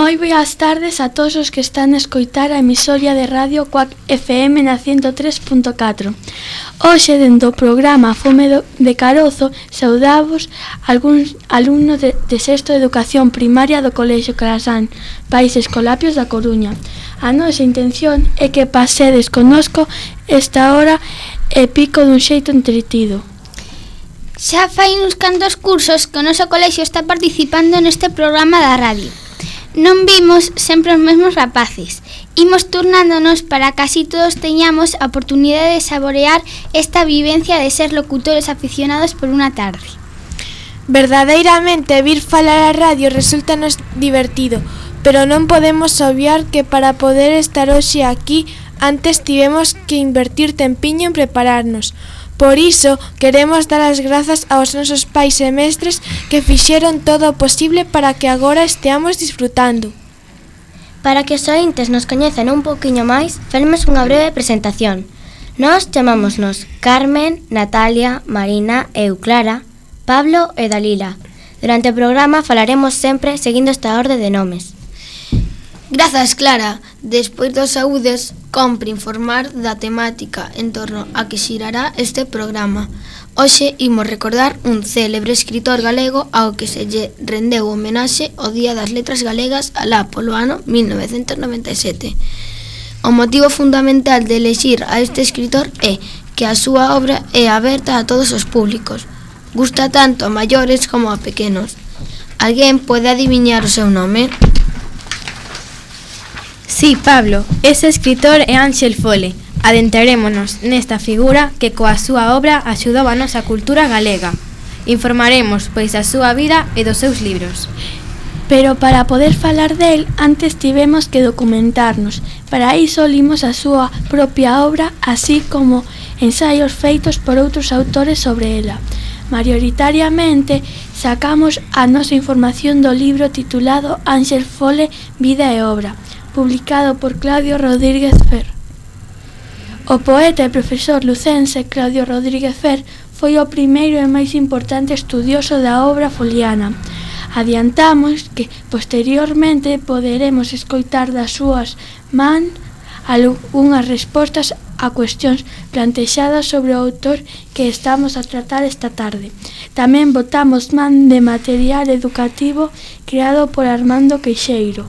Moi boas tardes a todos os que están a escoitar a emisoria de radio Cuac FM na 103.4. Hoxe, dentro do programa Fome de Carozo, saudamos algúns alumnos de sexto de educación primaria do Colexio Carasán, Países Colapios da Coruña. A nosa intención é que pasedes connosco esta hora e pico dun xeito entretido. Xa fai uns cantos cursos que o noso colexio está participando neste programa da radio. Non vimos sempre os mesmos rapaces. Imos turnándonos para que así todos teñamos a oportunidade de saborear esta vivencia de ser locutores aficionados por unha tarde. Verdadeiramente, vir falar a radio resultanos divertido, pero non podemos obviar que para poder estar hoxe aquí, antes tivemos que invertir tempiño en prepararnos. Por iso, queremos dar as grazas aos nosos pais e mestres que fixeron todo o posible para que agora esteamos disfrutando. Para que os ointes nos coñecen un poquinho máis, faremos unha breve presentación. Nós chamámonos Carmen, Natalia, Marina, eu, Clara, Pablo e Dalila. Durante o programa falaremos sempre seguindo esta orde de nomes. Grazas, Clara. Despois dos saúdes, compre informar da temática en torno a que xirará este programa. Hoxe imos recordar un célebre escritor galego ao que se lle rendeu homenaxe o Día das Letras Galegas alá polo ano 1997. O motivo fundamental de elexir a este escritor é que a súa obra é aberta a todos os públicos. Gusta tanto a maiores como a pequenos. Alguén pode adiviñar o seu nome? Sí, Pablo, ese escritor é Ángel Fole. Adentrarémonos nesta figura que coa súa obra axudou a nosa cultura galega. Informaremos, pois, a súa vida e dos seus libros. Pero para poder falar del, antes tivemos que documentarnos. Para iso limos a súa propia obra, así como ensaios feitos por outros autores sobre ela. Maioritariamente, sacamos a nosa información do libro titulado Ángel Fole, Vida e Obra, publicado por Claudio Rodríguez Fer. O poeta e profesor lucense Claudio Rodríguez Fer foi o primeiro e máis importante estudioso da obra foliana. Adiantamos que posteriormente poderemos escoitar das súas man algunhas respostas a cuestións plantexadas sobre o autor que estamos a tratar esta tarde. Tamén botamos man de material educativo creado por Armando Queixeiro.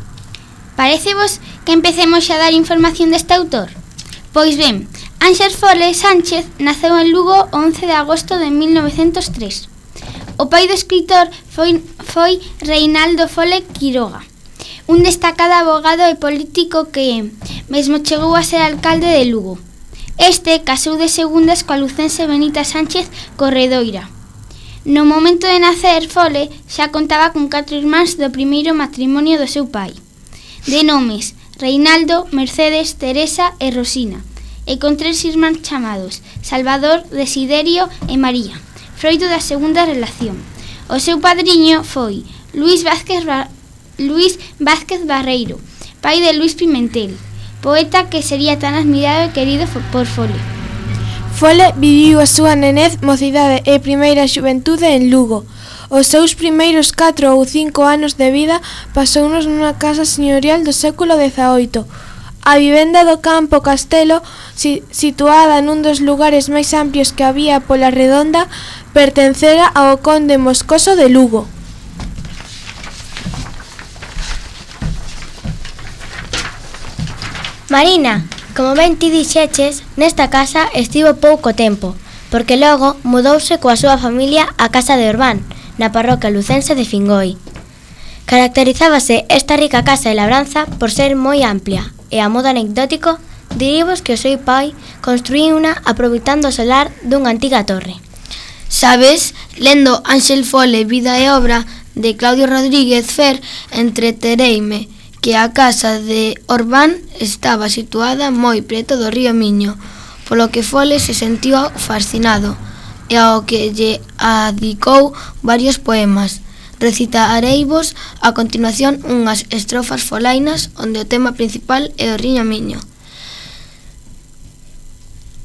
Parecevos que empecemos a dar información deste autor? Pois ben, Ángel Fole Sánchez naceu en Lugo o 11 de agosto de 1903. O pai do escritor foi Reinaldo Fole Quiroga, un destacado abogado e político que mesmo chegou a ser alcalde de Lugo. Este casou de segundas coa lucense Benita Sánchez Corredoira. No momento de nacer, Fole xa contaba con 4 irmáns do primeiro matrimonio do seu pai, de nomes Reinaldo, Mercedes, Teresa e Rosina, e con 3 irmáns chamados Salvador, Desiderio e María, froito da segunda relación. O seu padriño foi Luís Vázquez Barreiro, pai de Luís Pimentel, poeta que sería tan admirado e querido por Fole. Fole viviu a súa nenez, mocidade e primeira xuventude en Lugo. Os seus primeiros 4 ou 5 anos de vida pasounos nunha casa señorial do século XVIII. A vivenda do Campo Castelo, situada nun dos lugares máis amplios que había pola redonda, pertencera ao conde Moscoso de Lugo. Marina, como ben ti dixeches, nesta casa estivo pouco tempo, porque logo mudouse coa súa familia á casa de Orbán, na parroquia lucense de Fingoi. Caracterizábase esta rica casa e labranza por ser moi amplia, e a modo anecdótico, dirivos que o seu pai construíu unha aproveitando o solar dunha antiga torre. Sabes, lendo Ángel Fole, Vida e Obra, de Claudio Rodríguez Fer, entretereime que a casa de Orbán estaba situada moi preto do río Miño, polo que Fole se sentiu fascinado, e ao que lle adicou varios poemas. Recitareivos a continuación unhas estrofas folainas onde o tema principal é o río Miño.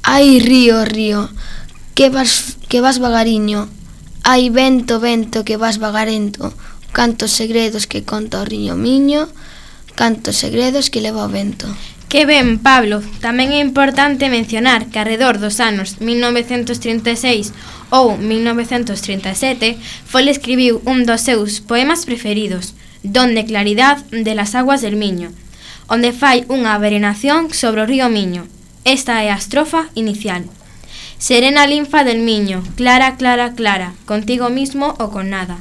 Ai, río, río, que vas vagariño. Ai, vento, vento, que vas vagarento. Cantos segredos que conta o río Miño. cantos segredos que leva o vento. Que ben, Pablo. Tamén é importante mencionar que arredor dos anos 1936 ou 1937 Fole escribiu un dos seus poemas preferidos, Don de claridad de las aguas del Miño, onde fai unha verenación sobre o río Miño. Esta é a estrofa inicial. Serena linfa del Miño, clara, clara, clara, contigo mismo o con nada.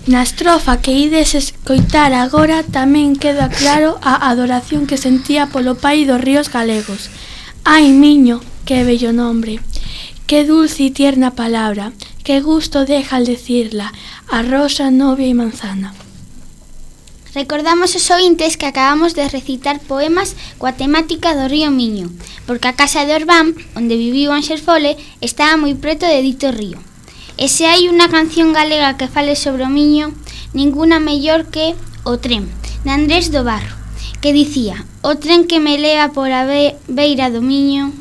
Na estrofa que ides escoitar agora tamén queda claro a adoración que sentía polo pai dos ríos galegos. Ai, Miño, que bello nombre, que dulce e tierna palabra, que gusto deja al decirla, a rosa, novia e manzana. Recordamos os ointes que acabamos de recitar poemas coa temática do río Miño, porque a casa de Orbán, onde viviu Ánxel Fole, estaba moi preto de dito río. E se hai unha canción galega que fale sobre o Miño, ninguna mellor que O tren, de Andrés do Barro, que dicía: o tren que me leva por a beira do Miño.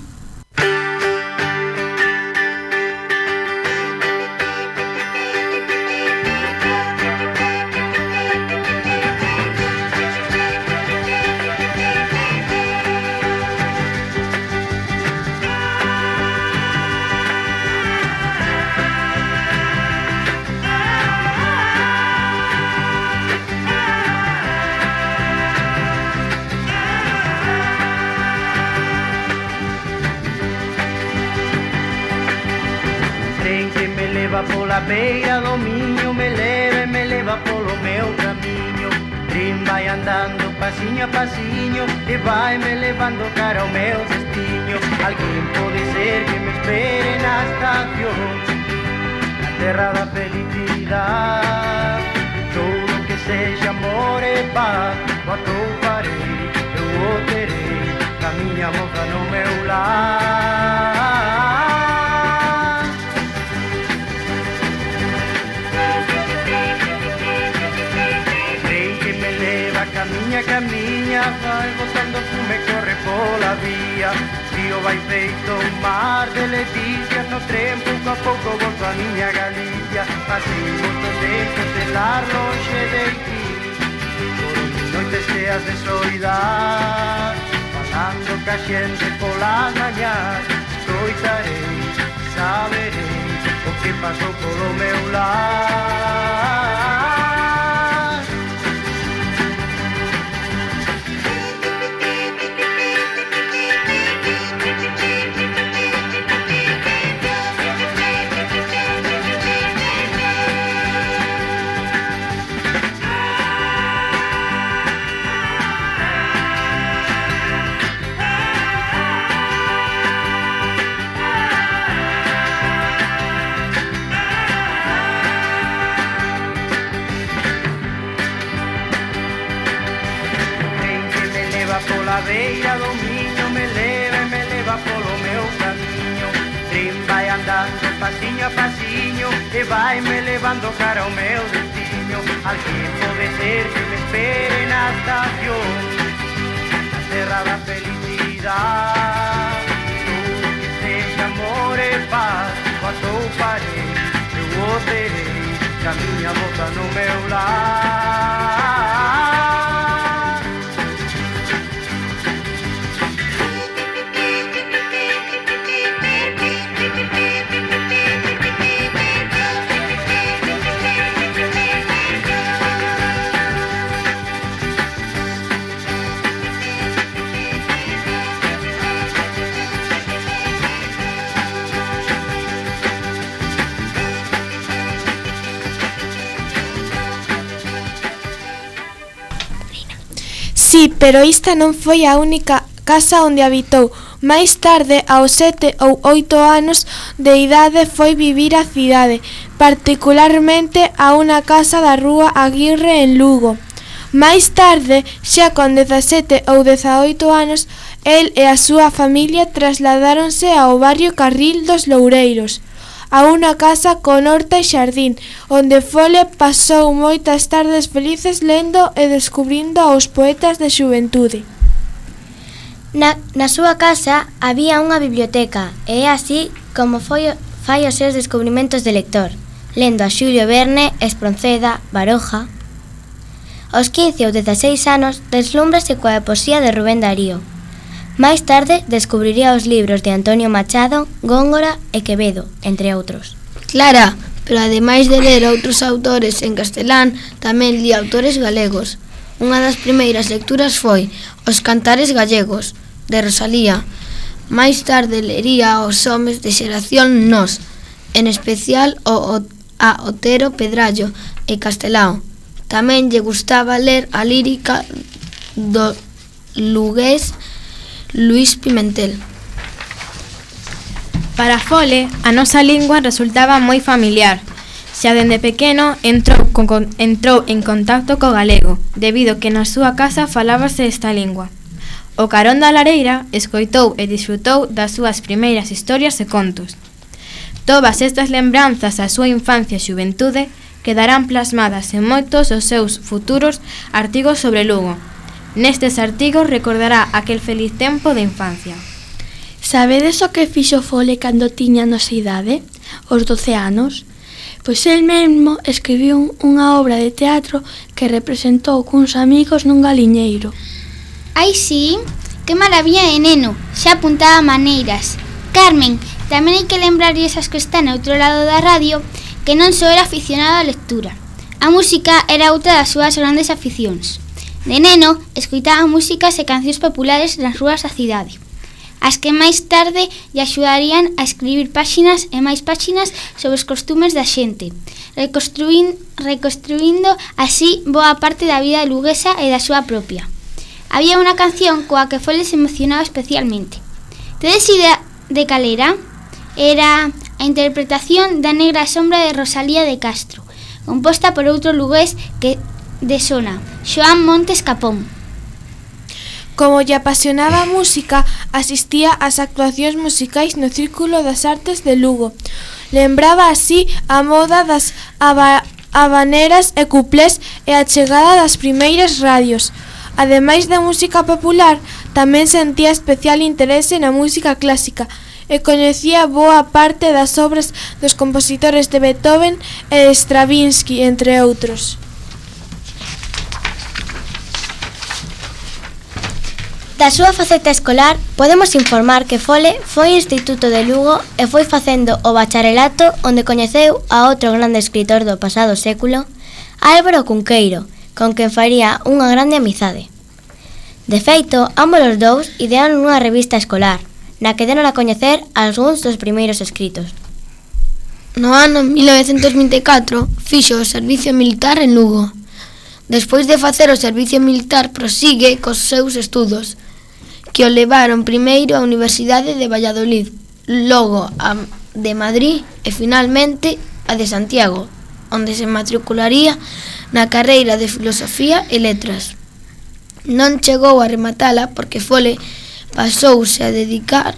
Pola beira do Miño me leva polo meu camiño. Tren vai andando pasiño a pasiño e vai me levando cara ao meu destiño. Alguén pode ser que me espere na estación, na terra da felicidade. Todo que sexa amor e paz, o atoparei, eu o terei, a miña moza no meu lar. Camiña, vai botando fume, corre pola vía. Río vai feito un mar de leticias, no tren pouco a pouco volto a miña Galicia. Así moitos deixos de lar lonxe de ti, por noites cheas de soidade, falando ca xente polas mañás. Escoitarei, saberei o que pasou polo meu lar. Pola beira do Miño me leva polo meu camiño. Tren vai andando pasiño a pasiño e vai me levando cara ao meu destino. Alguén pode ser que me espere na estación, na terra da felicidade. Todo que sexa amor e paz, o atoparei, eu o terei, que a miña moza no meu lar. Sí, pero esta non foi a única casa onde habitou. Máis tarde, aos 7 ou 8 anos de idade, foi vivir á cidade, particularmente a unha casa da rúa Aguirre en Lugo. Máis tarde, xa con 17 ou 18 anos, el e a súa familia trasladáronse ao barrio Carril dos Loureiros, a unha casa con horta e xardín, onde Fole pasou moitas tardes felices lendo e descubrindo aos poetas de xuventude. Na súa casa había unha biblioteca e é así como fai os seus descubrimentos de lector. lendo a Xulio Verne, Espronceda, Baroja. Aos 15 ou 16 anos deslúmbrase coa poesía de Rubén Darío. Máis tarde descubriría os libros de Antonio Machado, Góngora e Quevedo, entre outros. Clara, pero ademais de ler outros autores en castelán, tamén li autores galegos. Unha das primeiras lecturas foi Os cantares gallegos, de Rosalía. Máis tarde lería Os homes de xeración Nós, en especial a Otero Pedrallo e Castelao. Tamén lle gustaba ler a lírica do lugués Luís Pimentel. Para Fole, a nosa lingua resultaba moi familiar. Xa dende pequeno entrou en contacto co galego, debido que na súa casa falábase esta lingua. O carón da lareira escoitou e disfrutou das súas primeiras historias e contos. Todas estas lembranzas da súa infancia e xuventude quedarán plasmadas en moitos dos seus futuros artigos sobre Lugo. Nestes artigos recordará aquel feliz tempo de infancia. Sabedes o que fixo Fole cando tiña a nosa idade? Os 12 anos? Pois el mesmo escribiu unha obra de teatro que representou cuns amigos nun galiñeiro. Ai, sí, que maravilla de neno, xa apuntaba maneiras. Carmen, tamén hai que lembrarlle esas que están ao outro lado da radio que non só era aficionado á lectura. A música era outra das súas grandes aficións. De neno, escoitaba músicas e cancións populares nas rúas da cidade, as que máis tarde lle axudarían a escribir páxinas e máis páxinas sobre os costumes da xente, reconstruindo así boa parte da vida luguesa e da súa propia. Había unha canción coa que Fole se emocionaba especialmente. Tedes idea de cal era? Era a interpretación da Negra sombra de Rosalía de Castro, composta por outro lugués que de Sona, Xoán Montes Capón. Como lle apasionaba a música, asistía ás actuacións musicais no Círculo das Artes de Lugo. Lembraba así a moda das habaneras e cuplés e a chegada das primeiras radios. Ademais da música popular, tamén sentía especial interese na música clásica e coñecía boa parte das obras dos compositores de Beethoven e Stravinsky, entre outros. Da súa faceta escolar, podemos informar que Fole foi ao Instituto de Lugo e foi facendo o bacharelato onde coñeceu a outro grande escritor do pasado século, Álvaro Cunqueiro, con quen faría unha grande amizade. De feito, ambos os dous idearon unha revista escolar, na que deron a coñecer algúns dos primeiros escritos. No ano 1924 fixo o servicio militar en Lugo. Despois de facer o servicio militar prosigue cos seus estudos, que o levaron primeiro á Universidade de Valladolid, logo a de Madrid e finalmente a de Santiago, onde se matricularía na carreira de Filosofía e Letras. Non chegou a rematala porque Fole pasouse a dedicar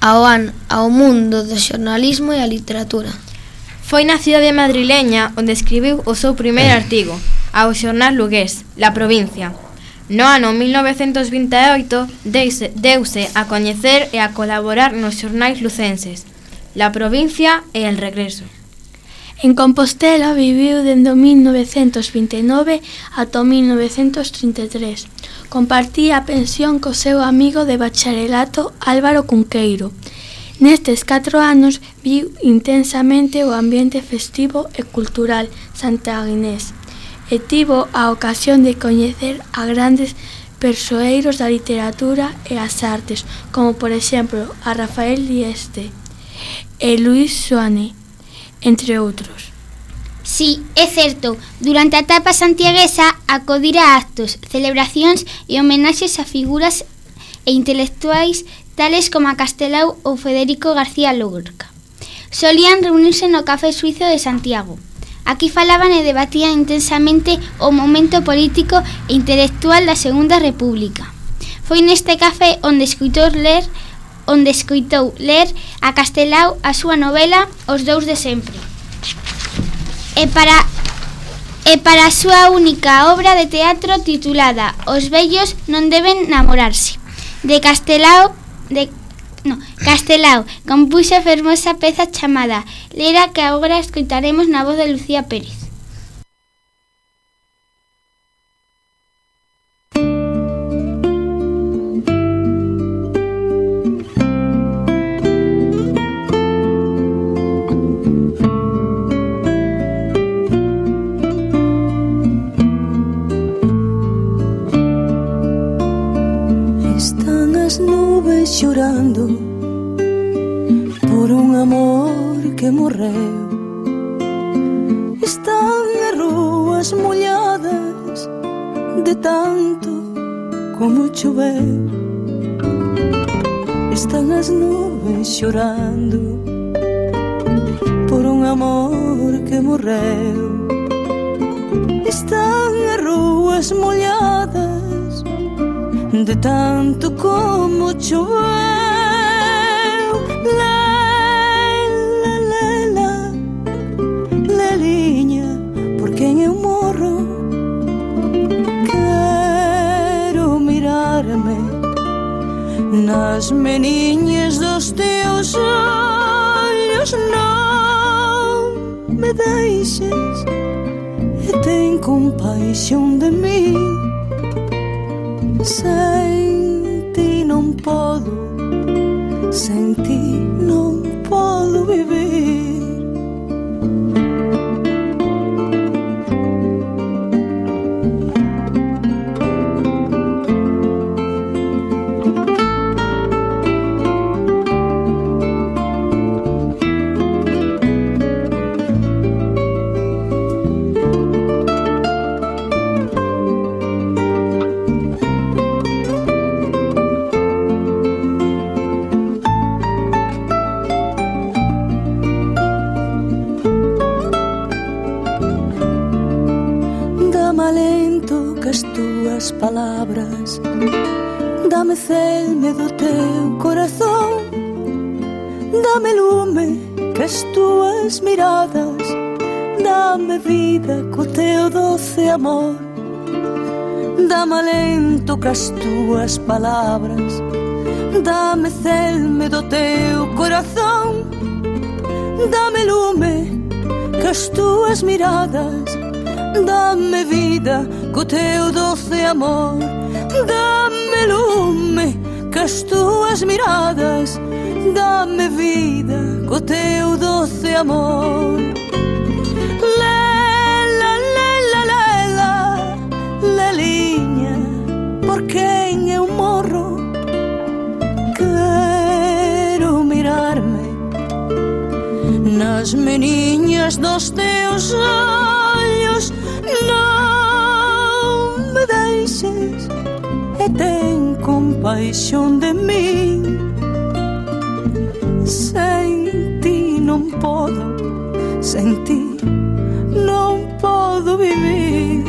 ao mundo do xornalismo e a literatura. Foi na cidade madrileña onde escribiu o seu primeiro artigo, ao xornal lugués, La Provincia. No ano 1928 deuse a coñecer e a colaborar nos xornais lucenses, La Provincia e El Regreso. En Compostela viviu dende 1929 ata 1933. Compartía a pensión co seu amigo de bacharelato Álvaro Cunqueiro. Nestes 4 anos viu intensamente o ambiente festivo e cultural santiaguinés e tivo a ocasión de coñecer a grandes persoeiros da literatura e as artes, como por exemplo a Rafael Dieste e Luis Suane, entre outros. Sí, é certo, durante a etapa santiaguesa acudira a actos, celebracións e homenaxes a figuras e intelectuais tales como a Castelao ou Federico García Lorca. Solían reunirse no Café Suizo de Santiago. Aquí falaban e debatían intensamente o momento político e intelectual da Segunda República. Foi neste café onde escoitou ler a Castelao a súa novela Os dous de sempre. E para a súa única obra de teatro titulada Os vellos non deben namorarse, de Castelao Castelao compuxo a fermosa peza chamada Lera, que agora escoitaremos na voz de Lucía Pérez. Están as nubes chorando por un amor que morreu. Están as rúas molladas de tanto como choveu. Están as nubes chorando por un amor que morreu. Están as rúas molladas de tanto como choveu. Lela, leliña, por quen eu morro. Quero mirarme nas meniñas dos teus ollos. Non me deixes e ten compaixón de mí. Sen ti non podo, sen ti non podo vivir. Palabras, dame celme do teu corazón, dame lume que as túas miradas, dame vida co teu doce amor, dame alento que as túas palabras, dame celme do teu corazón, dame lume que as túas miradas, dame vida co teu doce amor, dame lume que as túas miradas, dame vida co teu doce amor. Lela, lela, lela, leliña, por quen eu morro. Quero mirarme nas meniñas dos teus ollos. Non me deixes e ten compaixón de mí. Sen ti non podo, sen ti non podo vivir.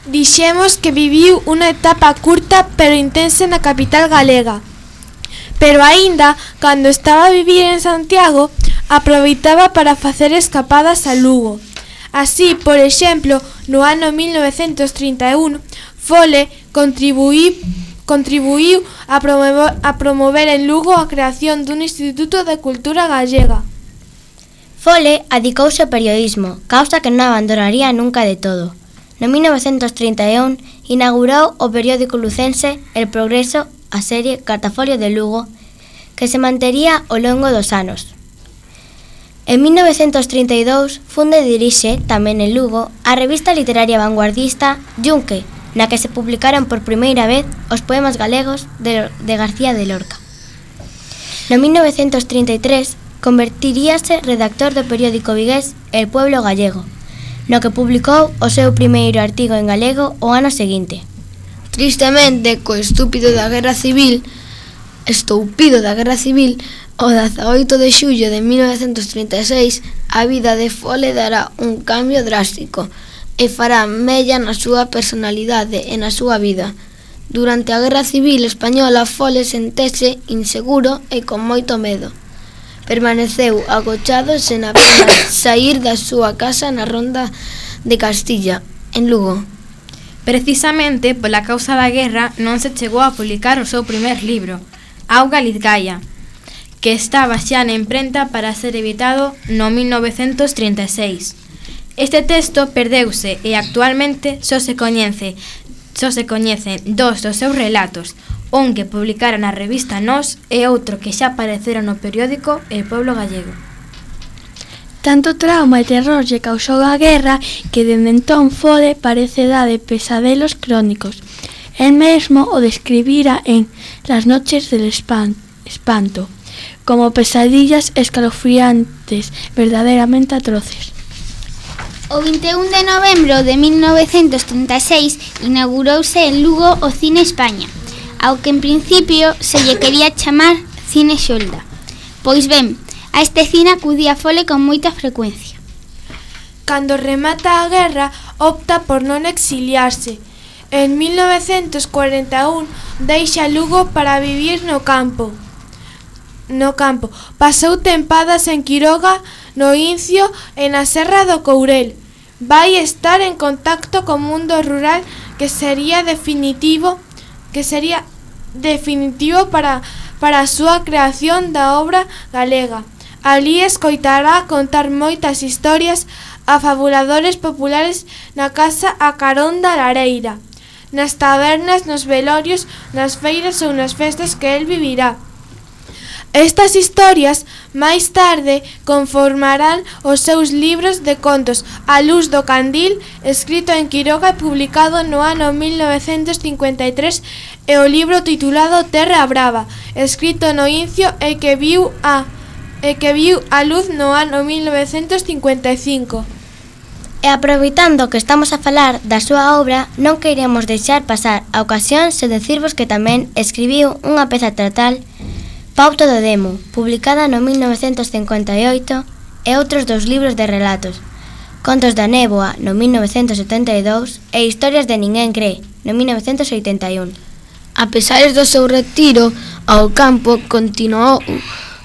Dixemos que viviu unha etapa curta pero intensa na capital galega. Pero aínda, cando estaba a vivir en Santiago, aproveitaba para facer escapadas a Lugo. Así, por exemplo, no ano 1931, Fole contribuiu a promover en Lugo a creación dun Instituto de Cultura Gallega. Fole adicouse ao periodismo, causa que non abandonaría nunca de todo. No 1931 inaugurou o periódico lucense El Progreso, a serie Cartafolio de Lugo, que se mantería ao longo dos anos. En 1932 funde e dirixe, tamén en Lugo, a revista literaria vanguardista Yunque, na que se publicaron por primeira vez os poemas galegos de García de Lorca. No 1933 convertiríase redactor do periódico vigués El Pueblo Gallego, no que publicou o seu primeiro artigo en galego o ano seguinte. Tristemente, co estúpido da Guerra Civil, o 18 de xullo de 1936, a vida de Fole dará un cambio drástico e fará mella na súa personalidade e na súa vida. Durante a Guerra Civil Española, Fole sentese inseguro e con moito medo. Permaneceu agochado sen apenas saír da súa casa na Ronda de Castilla, en Lugo. Precisamente pola causa da guerra non se chegou a publicar o seu primer libro, Auga Lizgaia, que estaba xa na imprenta para ser editado no 1936. Este texto perdeuse e actualmente só se coñecen dos dos seus relatos, un que publicara na revista Nós e outro que xa aparecera no periódico El Pueblo Gallego. Tanto trauma e terror lle causou a guerra que dende entón Fole parece dar de pesadelos crónicos. El mesmo o describira en Las noches del espanto, como pesadillas escalofriantes, verdaderamente atroces. O 21 de novembro de 1936 inaugurouse en Lugo o Cine España, ao que en principio se lle quería chamar Cine Xolda. Pois ben, a este cine acudía Fole con moita frecuencia. Cando remata a guerra, opta por non exiliarse. En 1941 deixa Lugo para vivir no campo. Pasou tempadas en Quiroga, no Incio e na Serra do Courel. Vai estar en contacto co mundo rural que sería definitivo para a súa creación da obra galega. Alí escoitará contar moitas historias a fabuladores populares na casa a carón da lareira, nas tabernas, nos velorios, nas feiras ou nas festas que el vivirá. Estas historias, máis tarde, conformarán os seus libros de contos A luz do candil, escrito en Quiroga e publicado no ano 1953, e o libro titulado Terra Brava, escrito no Incio e que viu a luz no ano 1955. E aproveitando que estamos a falar da súa obra, non queiremos deixar pasar a ocasión sen decirvos que tamén escribiu unha peza teatral, Pauto do Demo, publicada no 1958, e outros dous libros de relatos, Contos da Néboa, no 1972, e Historias de Ninguén Cree, no 1981. A pesar do seu retiro ao campo, continuou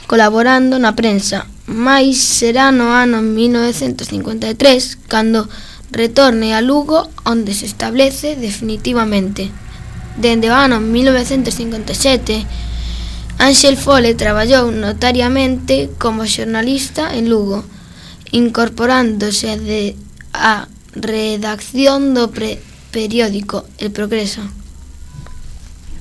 colaborando na prensa, mais será no ano 1953 cando retorne a Lugo, onde se establece definitivamente. Dende o ano 1957, Ángel Fole traballou notariamente como xornalista en Lugo, incorporándose a redacción do periódico El Progreso.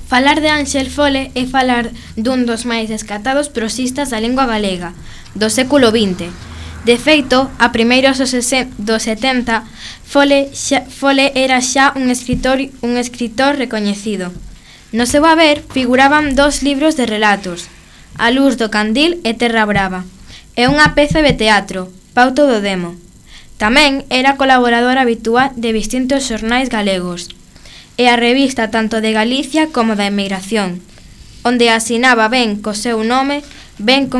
Falar de Ángel Fole é falar dun dos máis descatados prosistas da lingua galega do século XX. De feito, a primeiros dos 70, Fole era xa un escritor recoñecido. No seu haber figuraban dos libros de relatos, A luz do candil e Terra Brava, e unha peza de teatro, Pauto do Demo. Tamén era colaborador habitual de distintos xornais galegos, e a revista tanto de Galicia como da emigración, onde asinaba ben co seu nome, ben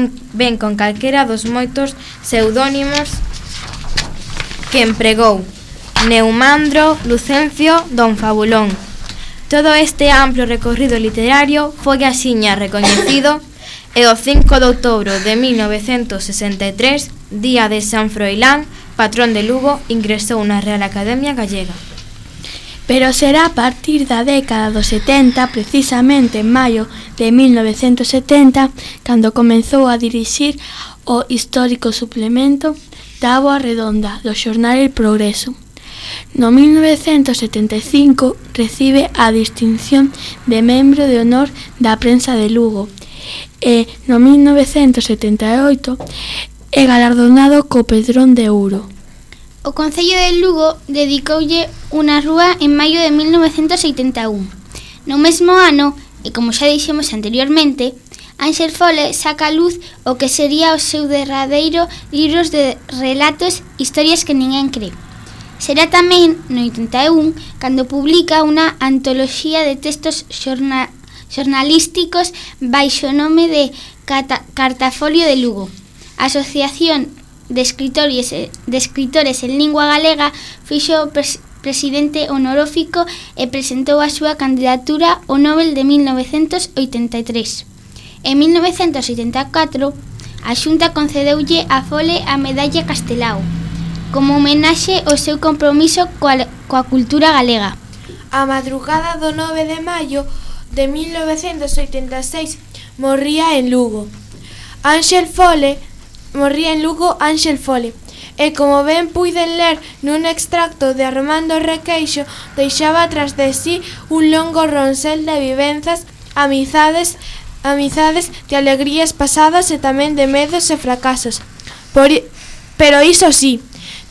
con calquera dos moitos pseudónimos que empregou, Neumandro, Lucencio, Don Fabulón. Todo este amplo recorrido literario foi axiña recoñecido e o 5 de outubro de 1963, día de San Froilán, patrón de Lugo, ingresou na Real Academia Gallega. Pero será a partir da década dos 70, precisamente en maio de 1970, cando comezou a dirixir o histórico suplemento Táboa Redonda do xornal El Progreso. No 1975 recibe a distinción de membro de honor da prensa de Lugo e no 1978 e galardonado co Pedrón de Ouro. O Concello de Lugo dedicoulle unha rúa en maio de 1981. No mesmo ano, e como xa dixemos anteriormente, Ánxel Fole saca a luz o que sería o seu derradeiro libros de relatos, historias que ninguén cree. Será tamén no 81 cando publica unha antoloxía de textos xornalísticos baixo o nome de Cartafolio de Lugo. A Asociación de Escritores en Lingua Galega fixo presidente honorífico e presentou a súa candidatura ao Nobel de 1983. En 1984, a Xunta concedeulle a Fole a Medalla Castelao, como homenaxe ao seu compromiso coa cultura galega. A madrugada do 9 de maio de 1986 morría en Lugo Ánxel Fole, e como ben puiden ler nun extracto de Armando Requeixo, deixaba tras de sí un longo ronsel de vivenzas, amizades, de alegrías pasadas e tamén de medos e fracasos. Pero iso sí,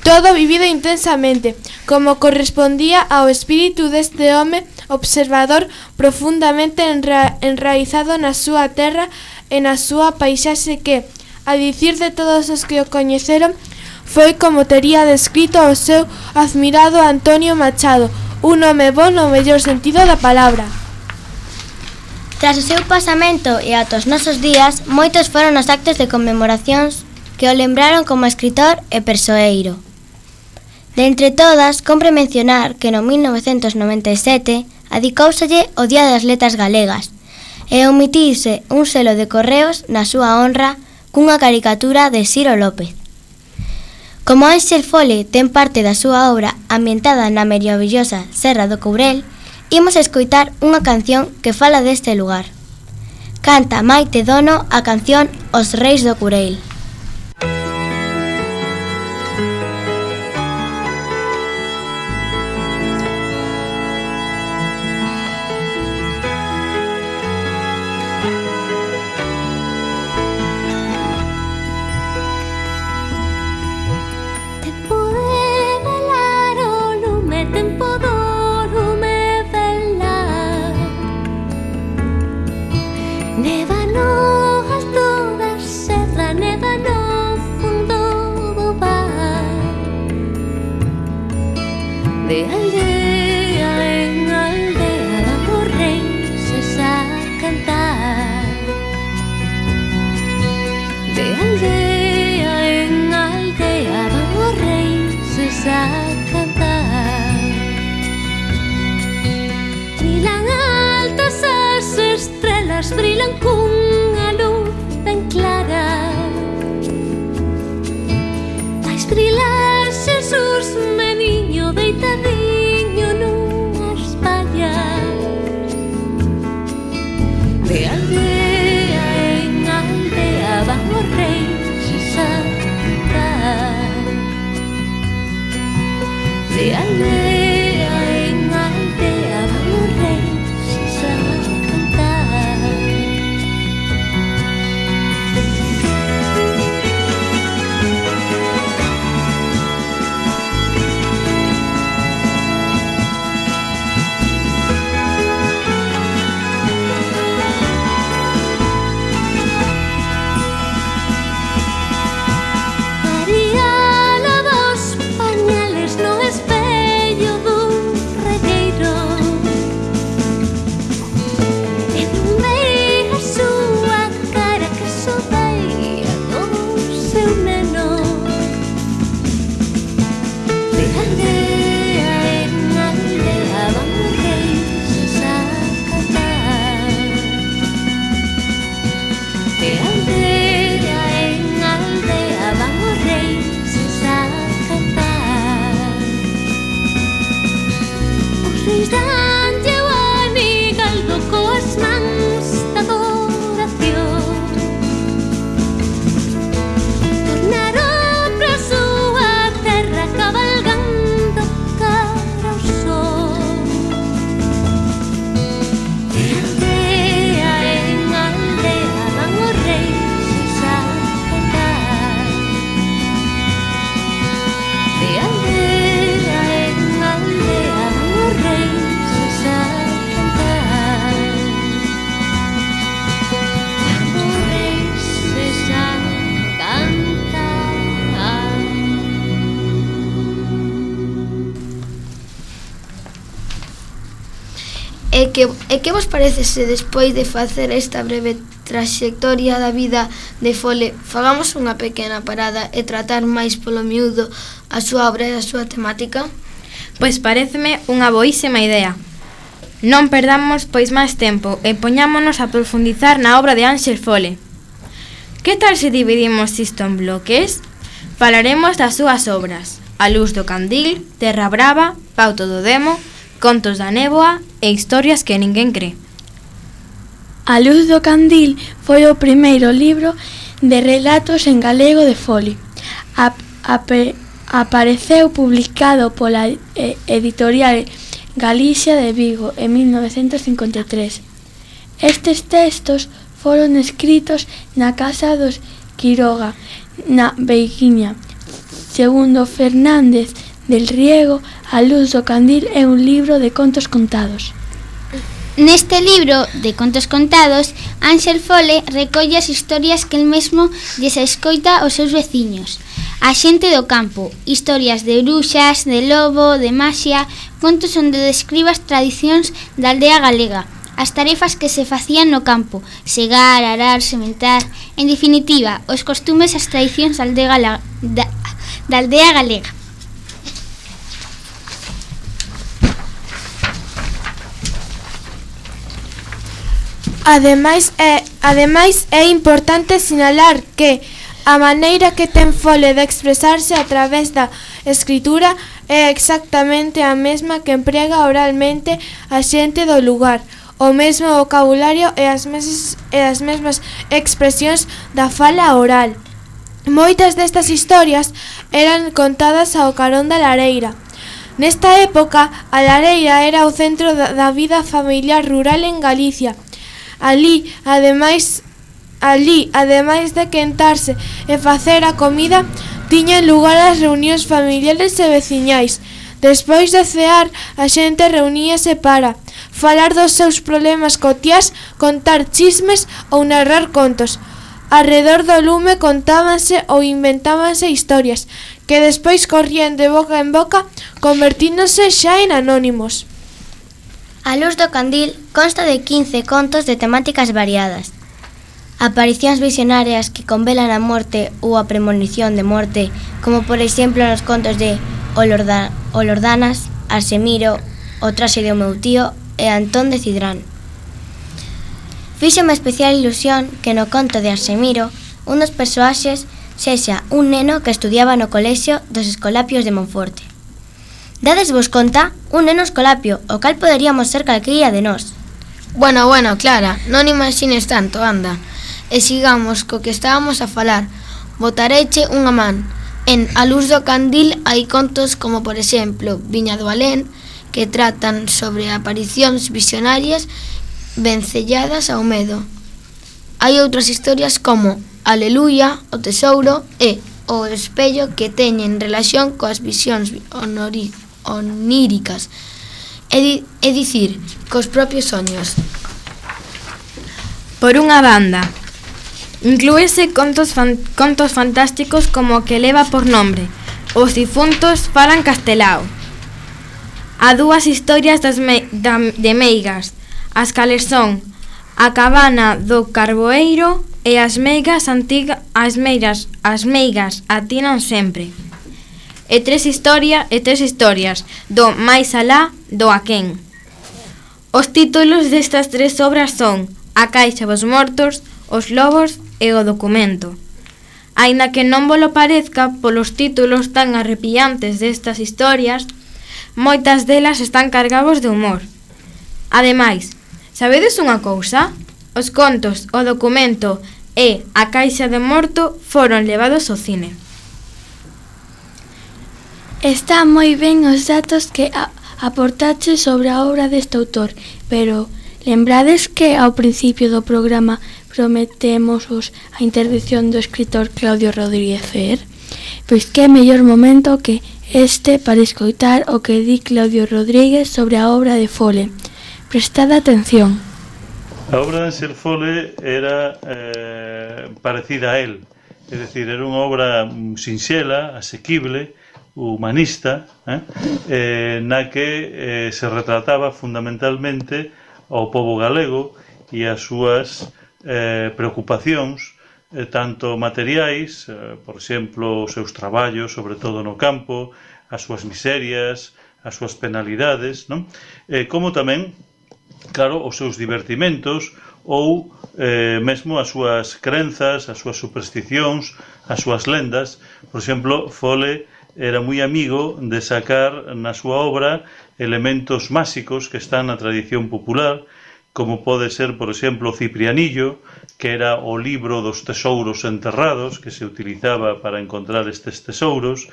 todo vivido intensamente, como correspondía ao espírito deste home observador profundamente enraizado na súa terra e na súa paisaxe que, a dicir de todos os que o coñeceron, foi como tería descrito o seu admirado Antonio Machado, un home bo no mellor sentido da palabra. Tras o seu pasamento e ata os nosos días, moitos foron os actos de conmemoracións que o lembraron como escritor e persoeiro. De entre todas, compre mencionar que no 1997 adicóuselle o Día das Letras Galegas e omitirse un selo de correos na súa honra cunha caricatura de Ciro López. Como Ánxel Fole ten parte da súa obra ambientada na maravillosa Serra do Courel, imos escoitar unha canción que fala deste lugar. Canta Maite Dono a canción Os Reis do Courel. De aldea en aldea vamos reis a cantar. De aldea en aldea vamos reis a cantar. Brilan altas as estrelas, brilan cun E que vos parece se despois de facer esta breve traxectoria da vida de Fole fagamos unha pequena parada e tratar máis polo miúdo a súa obra e a súa temática? Pois paréceme unha boísima idea. Non perdamos pois máis tempo e poñámonos a profundizar na obra de Ángel Fole. Que tal se dividimos isto en bloques? Falaremos das súas obras: A luz do candil, Terra brava, Pauto do demo, Contos da néboa e Historias que ninguén cree. A luz do candil foi o primeiro libro de relatos en galego de Fole. Apareceu publicado pola editorial Galicia de Vigo en 1953. Estes textos foron escritos na casa dos Quiroga, na Beiguiña. Segundo Fernández del Riego, A luz do candil é un libro de contos contados. Neste libro de contos contados, Ángel Fole recolle as historias que el mesmo lles escoita aos seus veciños. A xente do campo, historias de bruxas, de lobo, de maxia, contos onde describe as tradicións da aldea galega, as tarefas que se facían no campo, segar, arar, sementar, en definitiva, os costumes e as tradicións da aldea galega. Ademais é importante sinalar que a maneira que ten Fole de expresarse a través da escritura é exactamente a mesma que emprega oralmente a xente do lugar, o mesmo vocabulario e as mesmas expresións da fala oral. Moitas destas historias eran contadas ao carón da lareira. Nesta época, a lareira era o centro da vida familiar rural en Galicia. Alí, ademais de quentarse e facer a comida, tiñan lugar as reunións familiares e veciñais. Despois de cear, a xente reuníase para falar dos seus problemas cotiás, contar chismes ou narrar contos. Arredor do lume contábanse ou inventábanse historias que despois corrían de boca en boca, convertíndose xa en anónimos. A luz do candil consta de 15 contos de temáticas variadas. Aparicións visionarias que convelan a morte ou a premonición de morte, como por exemplo nos contos de Olordanas, Arsemiro, O traxe do meu tío e Antón de Cidrán. Fíxome especial ilusión que no conto de Arsemiro un dos persoaxes sexa un neno que estudiaba no colexio dos Escolapios de Monforte. Dades vos conta, un neno escolapio, o cal poderíamos ser calqueira de nós. Bueno, Clara, non imagines tanto, anda. E sigamos co que estábamos a falar. Botareiche unha man. En A luz do candil hai contos como, por exemplo, Viña do Alén, que tratan sobre aparicións visionarias vencelladas ao medo. Hai outras historias como Aleluia, O tesouro e O espello, que teñen relación coas visións oníricas, é dicir, cos propios soños. Por unha banda, inclúese contos fantásticos como o que leva por nombre Os difuntos falan castelao. A dúas historias de meigas, as cales son A cabana do carboeiro e As meigas atinan sempre. E tres historias do máis alá do aquén. Os títulos destas tres obras son A caixa dos mortos, Os lobos e O documento. Aínda que non volo parezca polos títulos tan arrepiantes destas historias, moitas delas están cargados de humor. Ademais, sabedes unha cousa? Os contos, O documento e A caixa de morto foron levados ao cine. Está moi ben os datos que aportache sobre a obra deste autor, pero lembrades que ao principio do programa prometémosvos a intervención do escritor Claudio Rodríguez Fer? Pois que mellor momento que este para escoitar o que di Claudio Rodríguez sobre a obra de Fole. Prestad atención. A obra de Ángel Fole era parecida a él, é dicir, era unha obra sinxela, asequible, humanista, na que se retrataba fundamentalmente ao pobo galego e as súas preocupacións, tanto materiais, por exemplo, os seus traballos, sobre todo no campo, as súas miserias, as súas penalidades, non? Como tamén, claro, os seus divertimentos ou mesmo as súas crenzas, as súas supersticións, as súas lendas. Por exemplo, Fole era moi amigo de sacar na súa obra elementos máxicos que están na tradición popular, como pode ser, por exemplo, o Ciprianillo, que era o libro dos tesouros enterrados, que se utilizaba para encontrar estes tesouros,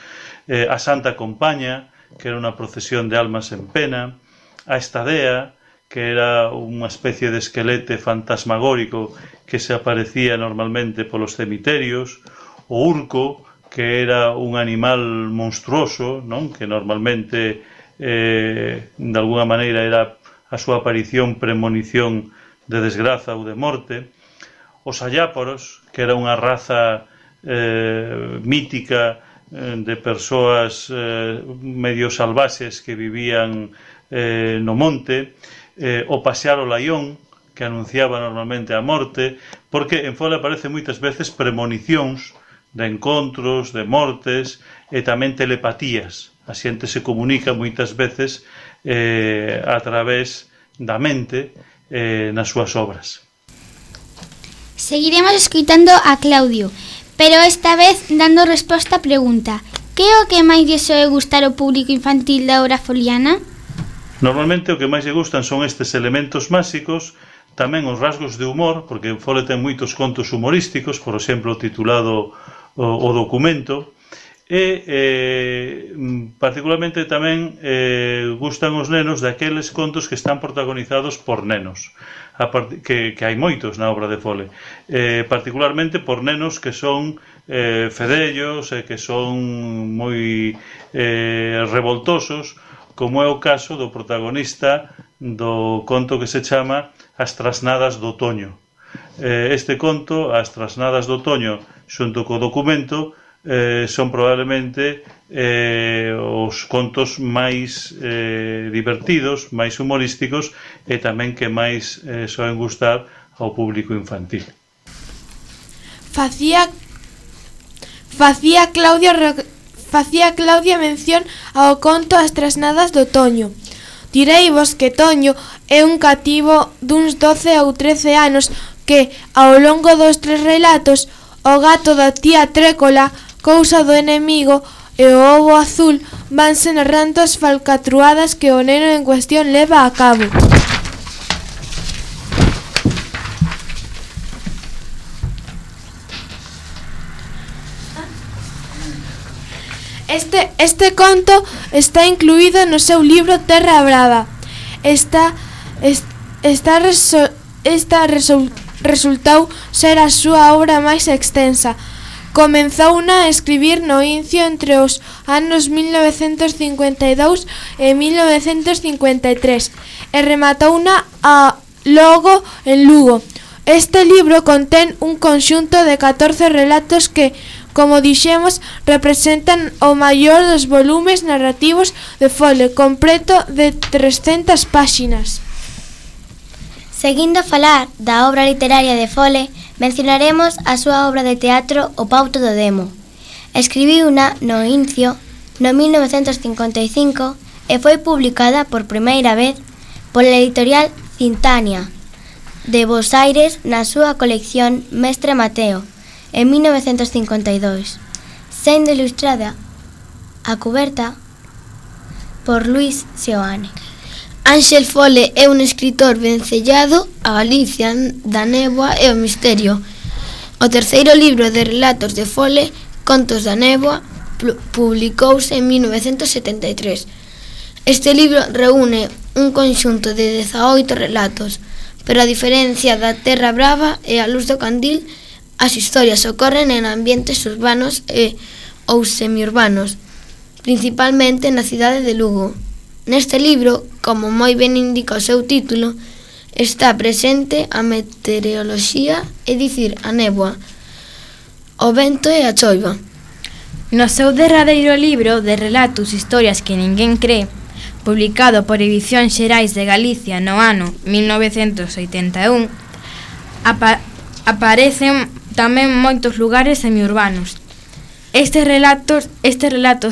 a Santa Compaña, que era unha procesión de almas en pena, a Estadea, que era unha especie de esquelete fantasmagórico que se aparecía normalmente polos cemiterios, o Urco, que era un animal monstruoso, non? Que normalmente de alguna maneira era a súa aparición premonición de desgraza ou de morte, os Ayáporos, que era unha raza mítica de persoas medio salvaxes que vivían no monte, o pasear o laión, que anunciaba normalmente a morte, porque en Fole aparece moitas veces premonicións de encontros, de mortes e tamén telepatías. A xente se comunica moitas veces a través da mente nas súas obras. Seguiremos escoitando a Claudio, pero esta vez dando resposta á pregunta: que é o que máis lle soe gustar ao público infantil da obra foliana? Normalmente o que máis lle gustan son estes elementos máxicos, tamén os rasgos de humor, porque Fole ten moitos contos humorísticos, por exemplo, titulado O Documento, e particularmente tamén gustan os nenos daqueles contos que están protagonizados por nenos, que hai moitos na obra de Fole, particularmente por nenos que son fedellos e que son moi revoltosos, como é o caso do protagonista do conto que se chama As Trasnadas do Otoño. Este conto, As Trasnadas do Otoño, xunto co Documento, son probablemente os contos máis divertidos, máis humorísticos e tamén que máis soen gustar ao público infantil. Facía Claudia mención ao conto As Trasnadas do Toño. Direivos que Toño é un cativo duns 12 ou 13 anos que, ao longo dos 3 relatos, o gato da tía Trécola, cousa do enemigo, e o ovo azul vanse narrando as falcatruadas que o neno en cuestión leva a cabo. Este conto está incluído no seu libro Terra Brava. Resultou ser a súa obra máis extensa. Comenzouna a escribir no Incio entre os anos 1952 e 1953 e rematouna logo en Lugo. Este libro contén un conxunto de 14 relatos que, como dixemos, representan o maior dos volumes narrativos de Fole, completo de 300 páxinas. Seguindo a falar da obra literaria de Fole, mencionaremos a súa obra de teatro O Pauto do Demo. Escribiuna no Incio no 1955 e foi publicada por primeira vez pola editorial Cintania de Bos Aires na súa colección Mestre Mateo en 1952, sendo ilustrada a cuberta por Luis Seoane. Ángel Fole é un escritor vencellado a Galicia, da néboa e o misterio. O terceiro libro de relatos de Fole, Contos da néboa, publicouse en 1973. Este libro reúne un conxunto de 18 relatos, pero a diferencia da Terra Brava e a Luz do Candil, as historias ocorren en ambientes urbanos ou semiurbanos, principalmente na cidade de Lugo. Neste libro, como moi ben indica o seu título, está presente a meteoroloxía, é dicir, a néboa, o vento e a choiva. No seu derradeiro libro de relatos historias que ninguén cree, publicado por Edicións Xerais de Galicia no ano 1981, aparecen tamén moitos lugares semiurbanos. Estes relatos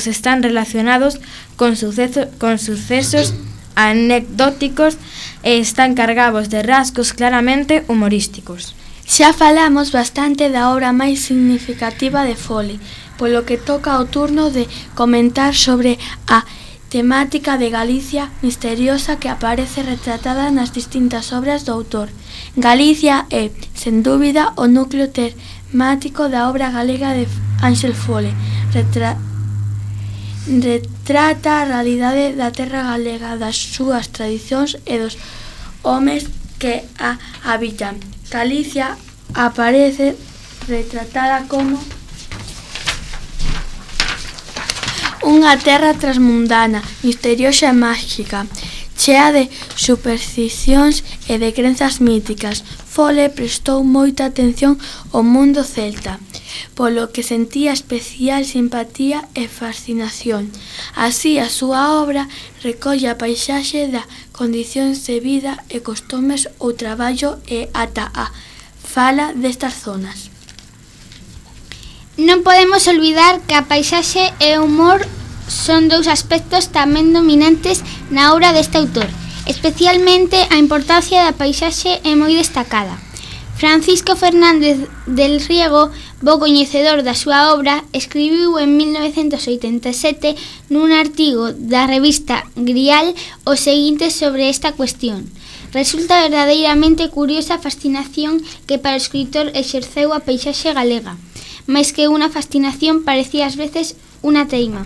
están relacionados con sucesos anecdóticos e están cargados de rasgos claramente humorísticos. Xa falamos bastante da obra máis significativa de Fole, polo que toca o turno de comentar sobre a temática de Galicia misteriosa que aparece retratada nas distintas obras do autor. Galicia é, sen dúbida, o núcleo temático da obra galega de Ángel Fole. Retrata a realidade da terra galega, das súas tradicións e dos homes que a habitan. Galicia aparece retratada como unha terra transmundana, misteriosa e máxica, chea de supersticións e de crenzas míticas. Fole prestou moita atención ao mundo celta, polo que sentía especial simpatía e fascinación. Así, a súa obra recolle a paisaxe da condicións de vida e costumes ou traballo e ata a fala destas zonas. Non podemos olvidar que a paisaxe e o humor son dous aspectos tamén dominantes na obra deste autor. Especialmente a importancia da paisaxe é moi destacada. Francisco Fernández del Riego, bo coñecedor da súa obra, escribiu en 1987 nun artigo da revista Grial o seguinte sobre esta cuestión. Resulta verdadeiramente curiosa a fascinación que para o escritor exerceu a paisaxe galega, máis que unha fascinación parecía ás veces unha teima.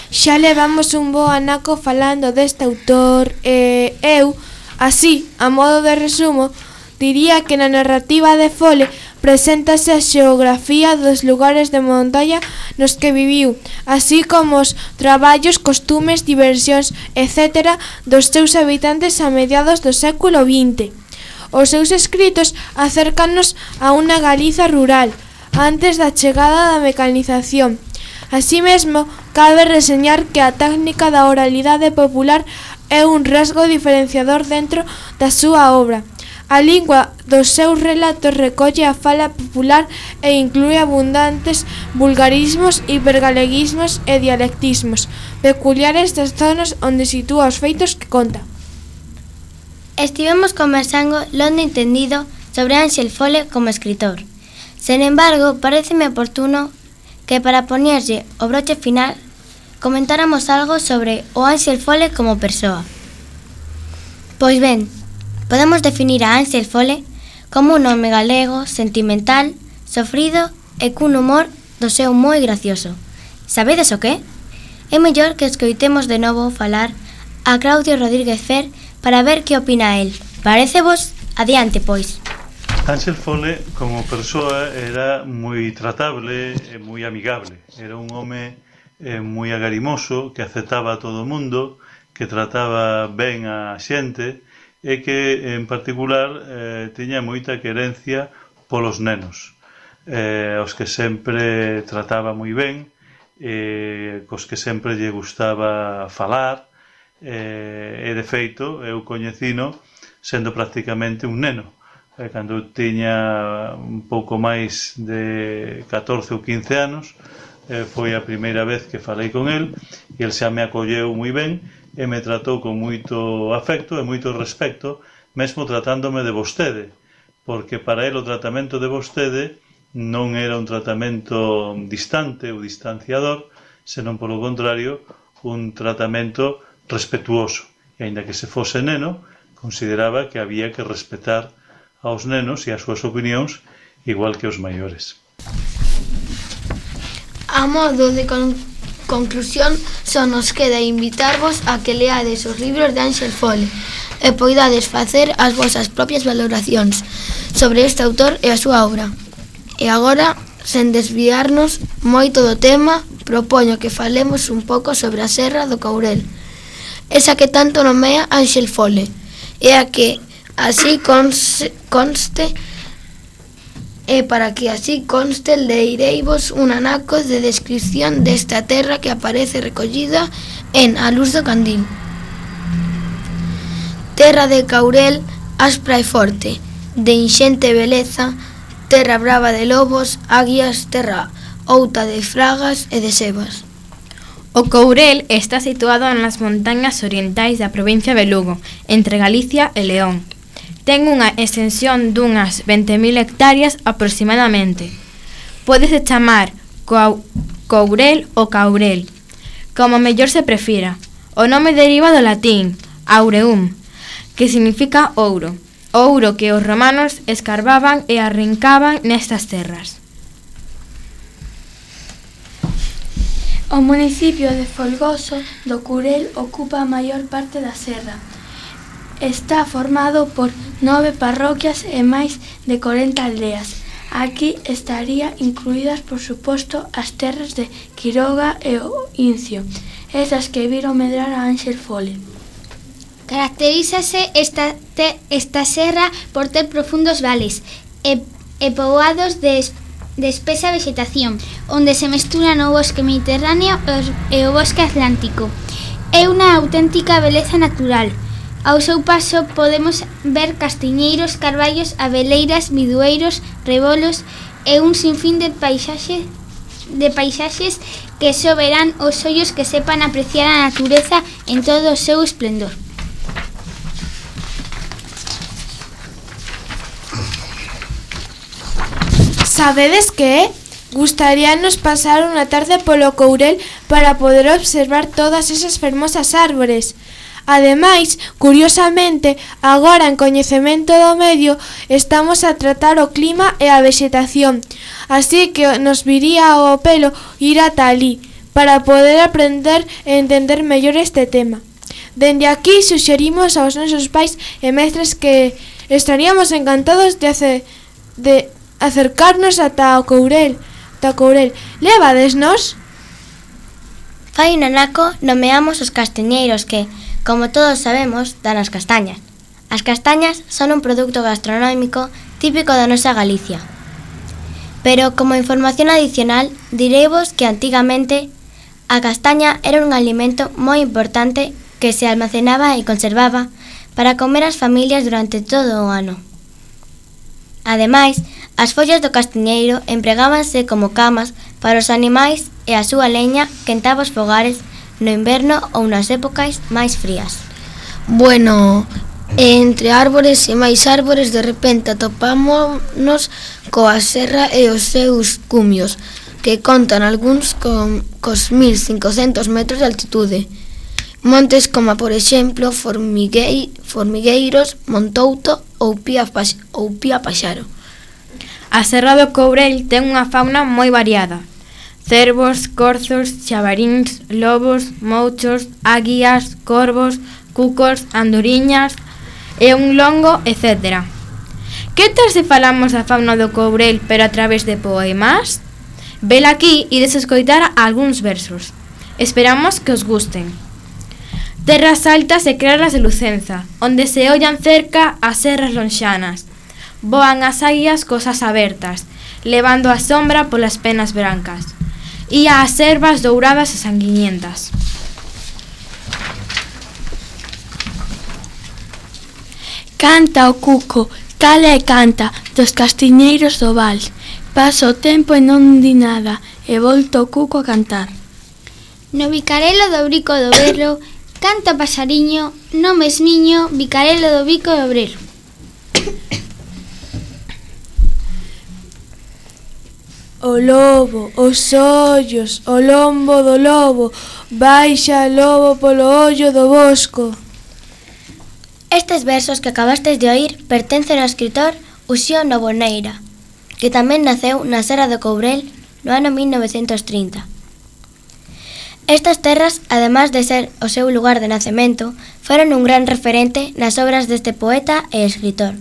Xa levamos un bo anaco falando deste autor e eu, así, a modo de resumo, diría que na narrativa de Fole preséntase a xeografía dos lugares de montaña nos que viviu, así como os traballos, costumes, diversións, etc. dos seus habitantes a mediados do século XX. Os seus escritos acércanos a unha Galiza rural, antes da chegada da mecanización. Así mesmo, cabe reseñar que a técnica da oralidade popular é un rasgo diferenciador dentro da súa obra. A lingua dos seus relatos recolle a fala popular e inclúe abundantes vulgarismos, hipergaleguismos e dialectismos peculiares das zonas onde sitúa os feitos que conta. Estivemos conversando longo e entendido sobre Ángel Fole como escritor. Sen embargo, pareceme oportuno que para poñerlle o broche final comentáramos algo sobre o Ángel Fole como persoa. Pois ben, podemos definir a Ángel Fole como un home galego, sentimental, sofrido e cun humor do seu moi gracioso. Sabedes o que? É mellor que escoitemos de novo falar a Claudio Rodríguez Fer para ver que opina el. Parecevos? Adiante, pois. Ángel Fole, como persoa, era moi tratable e moi amigable. Era un home moi agarimoso, que aceptaba a todo o mundo, que trataba ben a xente e que, en particular, tiña moita querencia polos nenos, os que sempre trataba moi ben, cos que sempre lle gustaba falar, e, de feito, eu coñecino sendo prácticamente un neno. Cando tiña un pouco máis de 14 ou 15 anos, foi a primeira vez que falei con el, e el xa me acolleu moi ben, e me tratou con moito afecto e moito respecto, mesmo tratándome de vostede, porque para el o tratamento de vostede non era un tratamento distante ou distanciador, senón polo contrario, un tratamento respetuoso. E aínda que se fose neno, consideraba que había que respetar aos nenos e as súas opinións igual que os maiores. A modo de conclusión, só nos queda invitarvos a que leades os libros de Ángel Fole e poidades facer as vosas propias valoracións sobre este autor e a súa obra. E agora, sen desviarnos moito do tema, propoño que falemos un pouco sobre a Serra do Courel, esa que tanto nomea Ángel Fole, e a que así conste, e para que así conste, leireivos un anaco de descripción desta terra que aparece recollida en A luz do candil. Terra de Caurel, aspra e forte, de inxente beleza, terra brava de lobos, águias, terra outa de fragas e de sebas. O Courel está situado nas montañas orientais da provincia de Lugo, entre Galicia e León. Ten unha extensión dunhas 20.000 hectáreas aproximadamente. Pódese chamar Courel ou Caurel, como mellor se prefira. O nome deriva do latín aureum, que significa ouro. O ouro que os romanos escarbaban e arrincaban nestas terras. O municipio de Folgoso do Curel ocupa a maior parte da serra. Está formado por 9 parroquias e máis de 40 aldeas. Aquí estarían incluídas, por suposto, as terras de Quiroga e o Incio, esas que viron medrar a Ánxel Fole. Caracterízase esta serra por ter profundos vales e poboados de espesa vegetación, onde se mesturan o bosque mediterráneo e o bosque atlántico. É unha auténtica beleza natural. Ao seu paso podemos ver castiñeiros, carballos, abeleiras, bidueiros, rebolos e un sinfín de paisaxes que só verán os ollos que sepan apreciar a natureza en todo o seu esplendor. Sabedes que gustaríanos pasar unha tarde polo Courel para poder observar todas esas fermosas árbores. Ademais, curiosamente, agora en Coñecemento do Medio estamos a tratar o clima e a vexetación, así que nos viría ao pelo ir ata alí para poder aprender e entender mellor este tema. Dende aquí suxerimos aos nosos pais e mestres que estaríamos encantados de acercarnos ata o Courel. Levadesnos? Fai un anaco nomeamos os castiñeiros que, como todos sabemos, dan as castañas. As castañas son un produto gastronómico típico da nosa Galicia. Pero, como información adicional, direivos que antigamente a castaña era un alimento moi importante que se almacenaba e conservaba para comer as familias durante todo o ano. Ademais, as follas do castiñeiro empregábanse como camas para os animais e a súa leña quentaba os fogares no inverno ou nas épocas máis frías. Bueno, entre árbores e máis árbores de repente atopámonos coa serra e os seus cumios, que contan algúns cos 1500 metros de altitude. Montes como, por exemplo, Formigueiros, Montouto ou Pía Paxaro. A serra do Courel ten unha fauna moi variada. Cervos, corzos, xabaríns, lobos, mouchos, águias, corvos, cucos, andoriñas e un longo, etc. Que tal se falamos da fauna do Courel pero a través de poemas? Vela aquí e desescoitar algúns versos. Esperamos que os gusten. Terras altas e claras de Lucenza, onde se ollan cerca as serras lonxanas. Voan as águias cosas abertas, levando a sombra polas penas brancas. E as servas douradas e sanguiñentas. Canta o cuco, cala e canta, dos castiñeiros do val. Pasa o tempo e non di nada, e volta o cuco a cantar. No bicarelo do brico do berro, canta o pasariño, no mesmiño, bicarelo do bico do obrero. O lobo, os ollos, o lombo do lobo, baixa lobo polo ollo do bosco. Estes versos que acabastes de oír pertencen ao escritor Uxío Novoneira, que tamén naceu na serra do Courel no ano 1930. Estas terras, además de ser o seu lugar de nacemento, foron un gran referente nas obras deste poeta e escritor.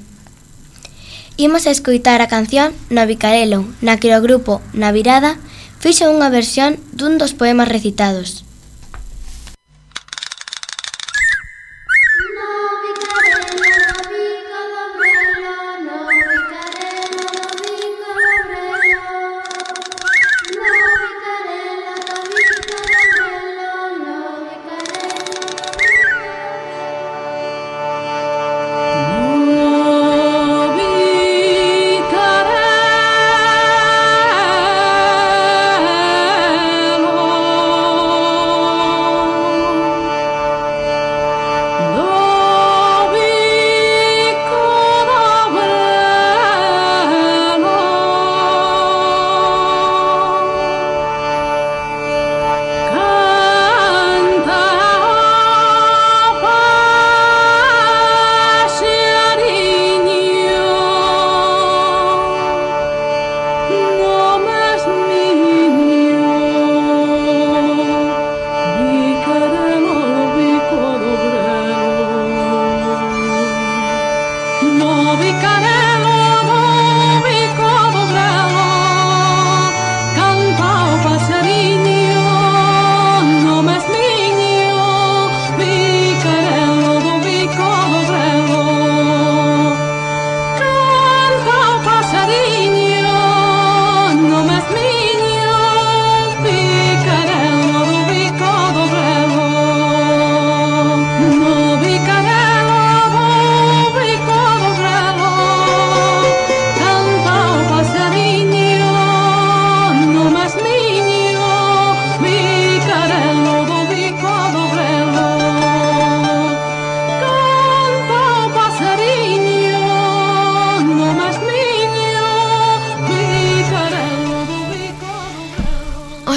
Imos a escoitar a canción No Bicarelo, na que o grupo Na Virada fixo unha versión dun dos poemas recitados.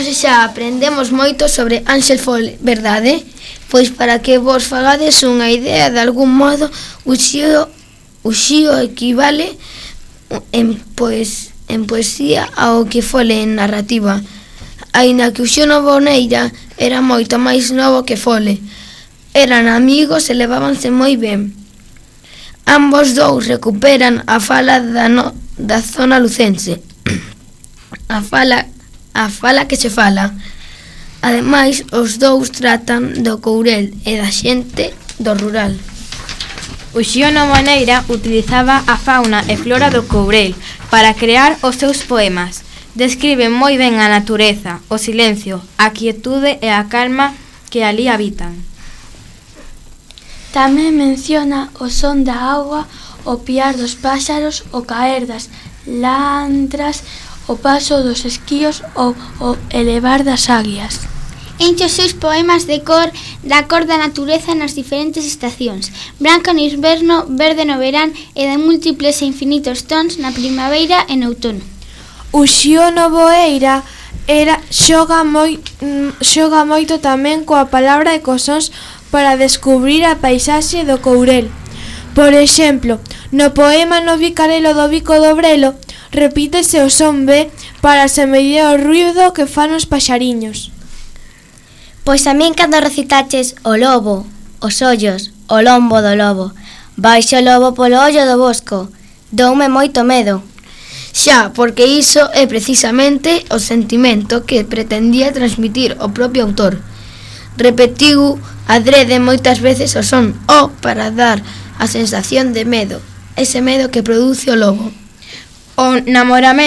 Hoxe xa aprendemos moito sobre Ángel Fole, verdade? Pois para que vos fagades unha idea, de algún modo, o xío equivale en poesía ao que Fole en narrativa. Aínda que o Xío Novoneira era moito máis novo que Fole. Eran amigos e levábanse moi ben. Ambos dous recuperan a fala da zona lucense. A fala que se fala. Ademais, os dous tratan do Courel e da xente do rural. O Xío Novoneira utilizaba a fauna e flora do Courel para crear os seus poemas. Describen moi ben a natureza, o silencio, a quietude e a calma que ali habitan. Tamén menciona o son da auga, o piar dos páxaros, o caer das lantras, o paso dos esquíos ou o elevar das águias. Enche os seus poemas da cor da natureza nas diferentes estacións, branca no inverno, verde no verán e de múltiples e infinitos tons na primavera e no outono. O Xío Novoeira xoga moito tamén coa palabra e cos sons para descubrir a paisaxe do Courel. Por exemplo, no poema No Bicarelo do Bico do Brelo repítese o son B para semellar o ruído que fan os paxariños. Pois a min cando recitaches o lobo, os ollos, o lombo do lobo, baixo o lobo polo ollo do bosco, doume moito medo. Xa, porque iso é precisamente o sentimento que pretendía transmitir o propio autor. Repetiu adrede moitas veces o son O para dar a sensación de medo, ese medo que produce o lobo. O namoramento